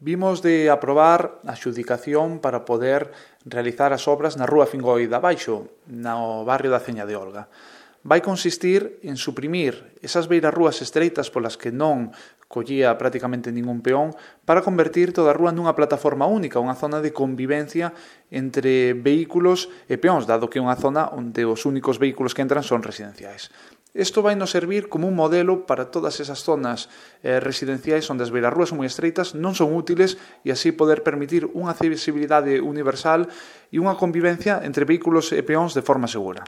Vimos de aprobar a adxudicación para poder realizar as obras na Rúa Fingoi de Abaixo, no barrio da Ceña de Olga. Vai consistir en suprimir esas beirarrúas estreitas polas que non collía prácticamente ningún peón para convertir toda a rúa nunha plataforma única, unha zona de convivencia entre vehículos e peóns, dado que é unha zona onde os únicos vehículos que entran son residenciais. Isto vai nos servir como un modelo para todas esas zonas residenciais onde as beirarrúas moi estreitas non son útiles e así poder permitir unha accesibilidade universal e unha convivencia entre vehículos e peóns de forma segura.